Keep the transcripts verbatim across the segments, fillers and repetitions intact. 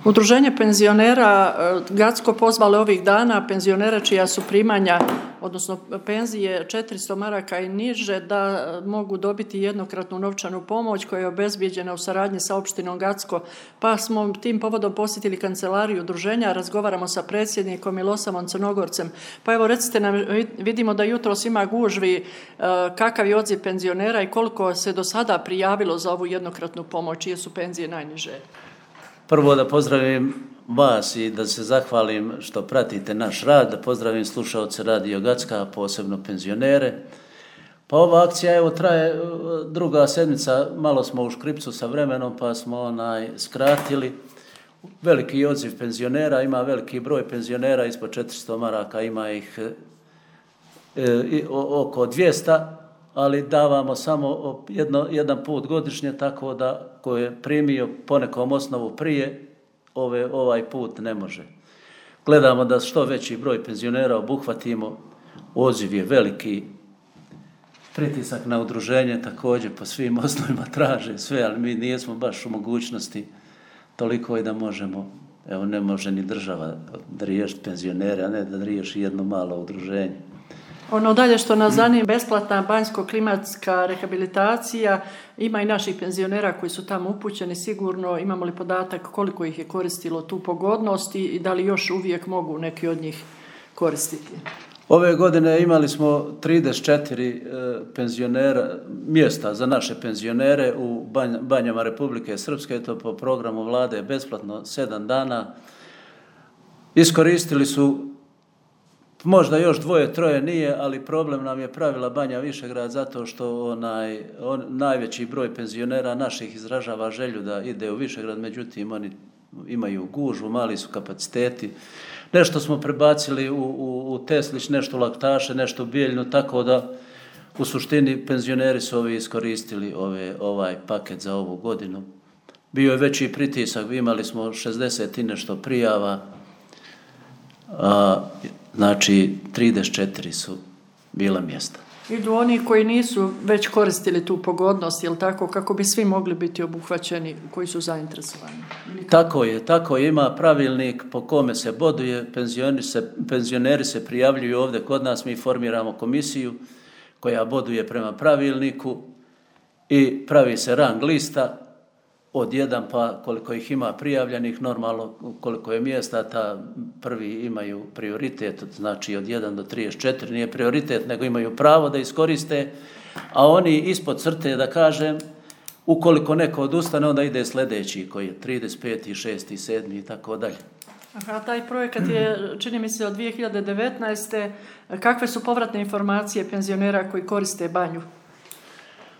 Udruženje penzionera Gacko pozvalo ovih dana penzionera čija su primanja, odnosno penzije četiristo maraka i niže, da mogu dobiti jednokratnu novčanu pomoć koja je obezbijeđena u saradnji sa opštinom Gacko. Pa smo tim povodom posjetili kancelariju udruženja, razgovaramo sa predsjednikom Milosavom Crnogorcem. Pa evo recite nam, vidimo da jutros ima gužvi, kakav je odziv penzionera i koliko se do sada prijavilo za ovu jednokratnu pomoć, čije su penzije najniže. Prvo da pozdravim vas i da se zahvalim što pratite naš rad, da pozdravim slušaoce Radio Gacka, posebno penzionere. Pa ova akcija evo traje druga sedmica, malo smo u škripcu sa vremenom pa smo onaj skratili. Veliki odziv penzionera, ima veliki broj penzionera, ispod četiristo maraka, ima ih e, oko dvjesto, ali davamo samo jedno, jedan put godišnje, tako da ko je primio po nekom osnovu prije, ove, ovaj put ne može. Gledamo da što veći broj penzionera obuhvatimo, odziv je veliki, pritisak na udruženje također po svim osnovima traže sve, ali mi nismo baš u mogućnosti toliko i da možemo, evo ne može ni država da riješi penzionere, a ne da riješi jedno malo udruženje. Ono dalje što nas zanima, besplatna banjsko-klimatska rehabilitacija, ima i naših penzionera koji su tamo upućeni, sigurno imamo li podatak koliko ih je koristilo tu pogodnost i da li još uvijek mogu neki od njih koristiti? Ove godine imali smo trideset četiri penzionera, mjesta za naše penzionere u banjama Republike Srpske, to po programu vlade besplatno sedam dana. Iskoristili su možda još dvoje, troje nije, ali problem nam je pravila Banja Višegrad zato što onaj, on, najveći broj penzionera naših izražava želju da ide u Višegrad, međutim oni imaju gužvu, mali su kapaciteti. Nešto smo prebacili u, u, u Teslić, nešto u Laktaše, nešto u Bijeljnu, tako da u suštini penzioneri su ovi iskoristili ove, ovaj paket za ovu godinu. Bio je veći pritisak, imali smo šezdeset i nešto prijava, a znači trideset četiri su bila mjesta. Idu oni koji nisu već koristili tu pogodnost, jel tako, kako bi svi mogli biti obuhvaćeni koji su zainteresovani? Tako je, tako je, ima pravilnik po kome se boduje, penzioneri se, penzioneri se prijavljuju ovdje kod nas, mi formiramo komisiju koja boduje prema pravilniku i pravi se rang lista od jedan pa koliko ih ima prijavljenih, normalno koliko je mjesta, ta prvi imaju prioritet, znači od jedan do trideset četiri nije prioritet, nego imaju pravo da iskoriste, a oni ispod crte, da kažem, ukoliko neko odustane, onda ide sljedeći koji je trideset peti, šesti, sedmi i tako dalje. Aha, taj projekat je, čini mi se, od dvije hiljade devetnaeste. Kakve su povratne informacije penzionera koji koriste banju?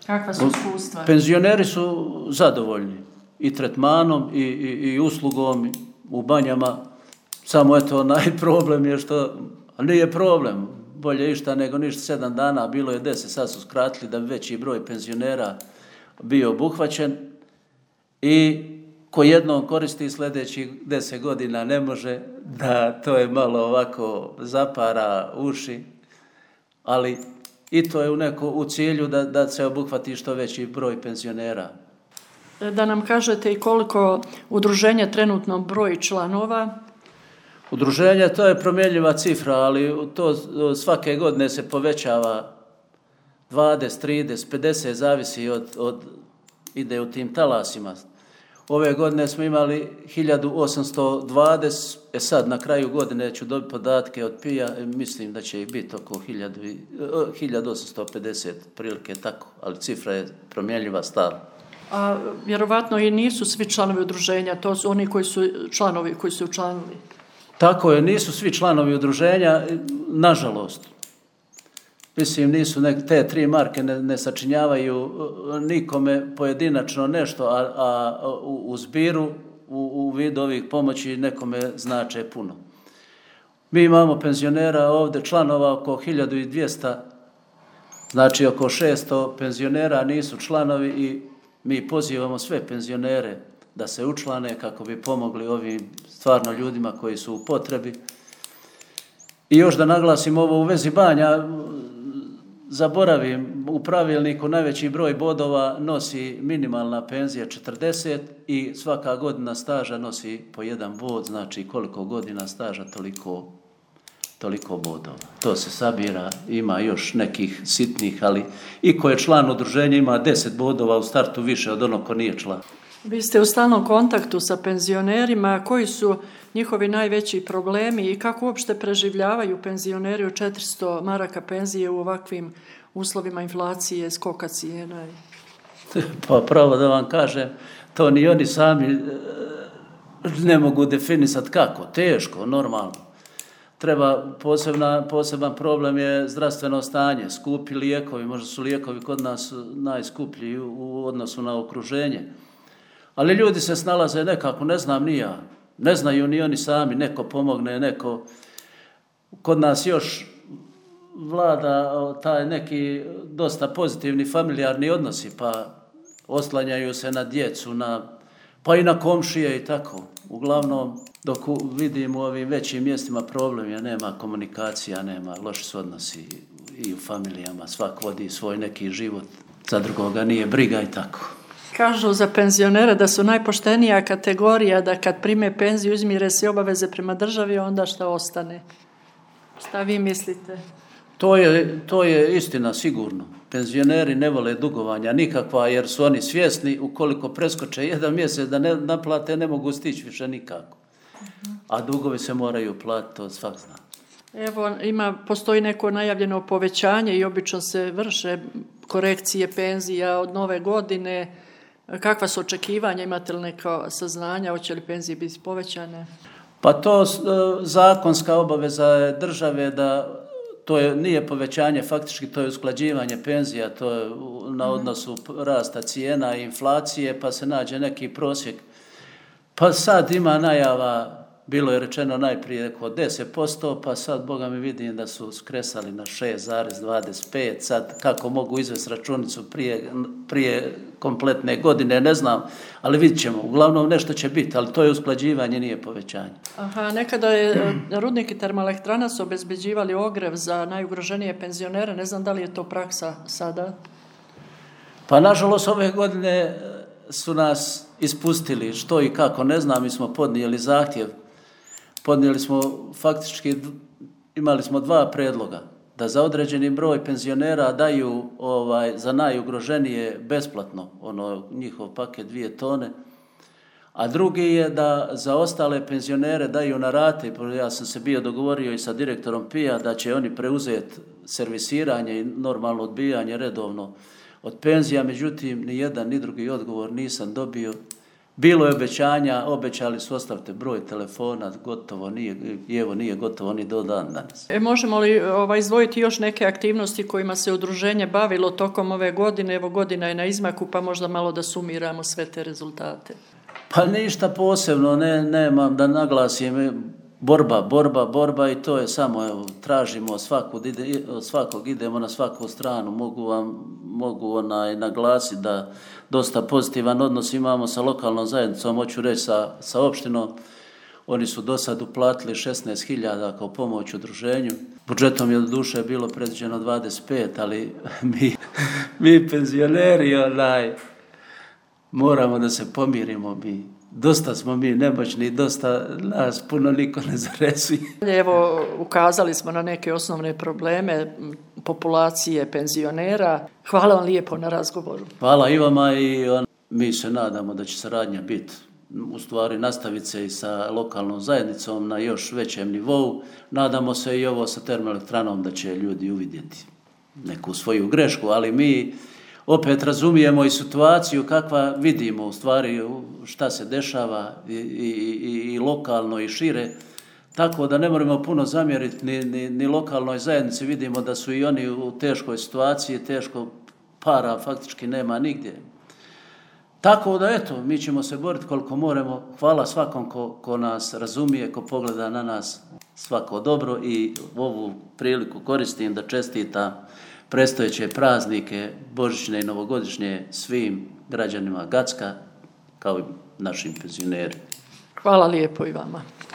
Kakva su iskustva? Penzioneri su zadovoljni i tretmanom i, i, i uslugom u banjama. Samo eto, najproblem je što, nije problem, bolje išta nego ništa, sedam dana, bilo je deset, sad su skratili da bi veći broj penzionera bio obuhvaćen i ko jednom koristi sljedećih deset godina ne može, da to je malo ovako zapara uši, ali i to je u, neko, u cilju da, da se obuhvati što veći broj penzionera. Da nam kažete i koliko udruženje trenutno broji članova? Udruženje, to je promjenjiva cifra, ali to svake godine se povećava dvadeset, trideset, pedeset, zavisi od, od ide u tim talasima. Ove godine smo imali hiljadu osamsto dvadeset, e sad na kraju godine ću dobiti podatke od P I A, mislim da će ih biti oko hiljadu osamsto pedeset, prilike tako, ali cifra je promjenjiva stalno. A vjerovatno i nisu svi članovi udruženja, to su oni koji su članovi, koji su učlanili. Tako je, nisu svi članovi udruženja, nažalost. Mislim, nisu nek, te tri marke ne, ne sačinjavaju nikome pojedinačno nešto, a, a u, u zbiru, u, u vidu ovih pomoći nekome znače puno. Mi imamo penzionera ovdje, članova oko hiljadu dvjesto, znači oko šesto penzionera nisu članovi i mi pozivamo sve penzionere da se učlane kako bi pomogli ovim stvarno ljudima koji su u potrebi. I još da naglasim ovo u vezi banja, zaboravim, u pravilniku najveći broj bodova nosi minimalna penzija četrdeset i svaka godina staža nosi po jedan bod, znači koliko godina staža toliko, toliko bodova. To se sabira, ima još nekih sitnih, ali i ko je član udruženja ima deset bodova u startu više od onog ko nije član. Vi ste u stalnom kontaktu sa penzionerima, koji su njihovi najveći problemi i kako uopšte preživljavaju penzioneri od četiristo maraka penzije u ovakvim uslovima inflacije, skoka cijena? Pa pravo da vam kažem, to ni oni sami ne mogu definisati kako, teško, normalno. Treba posebna, poseban problem je zdravstveno stanje, skupi lijekovi, možda su lijekovi kod nas najskuplji u odnosu na okruženje. Ali ljudi se snalaze nekako, ne znam ni ja, ne znaju ni oni sami, neko pomogne, neko. Kod nas još vlada taj neki dosta pozitivni familijarni odnosi, pa oslanjaju se na djecu, na, pa i na komšije i tako. Uglavnom, dok vidim u ovim većim mjestima problem je, nema komunikacija, nema, loši su odnosi i u familijama, svak vodi svoj neki život, za drugoga nije briga i tako. Kažu za penzionere da su najpoštenija kategorija, da kad prime penziju izmire se obaveze prema državi, onda šta ostane? Šta vi mislite? To je, to je istina sigurno. Penzioneri ne vole dugovanja nikakva jer su oni svjesni ukoliko preskoče jedan mjesec da ne naplate ne mogu stići više nikako. A dugovi se moraju platiti, to svak zna. Evo, ima, postoji neko najavljeno povećanje i obično se vrše korekcije penzija od nove godine. Kakva su očekivanja, imate li neka saznanja, hoće li penzije biti povećane? Pa to zakonska obaveza je države da to je, nije povećanje, faktički to je usklađivanje penzija, to je na odnosu rasta cijena i inflacije, pa se nađe neki prosjek. Pa sad ima najava, bilo je rečeno najprije oko deset posto, pa sad, Boga mi, vidim da su skresali na šest zarez dvadeset pet, sad kako mogu izvesti računicu prije, prije kompletne godine, ne znam, ali vidit ćemo, uglavnom nešto će biti, ali to je usklađivanje, nije povećanje. Aha, nekada je rudnik i termoelektrana su obezbeđivali ogrev za najugroženije penzionere, ne znam da li je to praksa sada? Pa nažalost ove godine su nas ispustili, što i kako, ne znam, mi smo podnijeli zahtjev. Podnijeli smo, faktički imali smo dva predloga, da za određeni broj penzionera daju ovaj, za najugroženije besplatno, ono njihov paket dvije tone, a drugi je da za ostale penzionere daju na rate. Ja sam se bio dogovorio i sa direktorom P I A da će oni preuzeti servisiranje i normalno odbijanje redovno od penzija, međutim ni jedan ni drugi odgovor nisam dobio. Bilo je obećanja, obećali su ostavite broj telefona, gotovo nije, i evo nije gotovo ni do dan danas. E, možemo li ovaj, izdvojiti još neke aktivnosti kojima se udruženje bavilo tokom ove godine? Evo, godina je na izmaku, pa možda malo da sumiramo sve te rezultate. Pa ništa posebno, ne, nemam da naglasim, borba, borba, borba i to je samo, evo, tražimo svakog, ide, svakog idemo na svaku stranu, mogu vam, mogu onaj naglasiti da dosta pozitivan odnos imamo sa lokalnom zajednicom, hoću reći sa, sa opštinom. Oni su do sad uplatili šesnaest hiljada kao pomoć udruženju. Budžetom je do duše bilo predviđeno dvadeset pet, ali mi, mi penzioneri onaj, moramo da se pomirimo mi. Dosta smo mi nemoćni, dosta nas puno niko ne zarezuje. Evo, ukazali smo na neke osnovne probleme populacije penzionera. Hvala vam lijepo na razgovoru. Hvala i vama i on, mi se nadamo da će saradnja biti, u stvari nastaviti se i sa lokalnom zajednicom na još većem nivou. Nadamo se i ovo sa termoelektranom da će ljudi uvidjeti neku svoju grešku, ali mi opet razumijemo i situaciju kakva vidimo u stvari šta se dešava i, i, i, i lokalno i šire, tako da ne moramo puno zamjeriti ni, ni, ni lokalnoj zajednici, vidimo da su i oni u teškoj situaciji, teško para faktički nema nigdje. Tako da eto, mi ćemo se boriti koliko moramo, hvala svakom ko, ko nas razumije, ko pogleda na nas, svako dobro i ovu priliku koristim da čestitam predstojeće praznike, božićne i novogodišnje svim građanima Gacka, kao i našim penzionerima. Hvala lijepo i vama.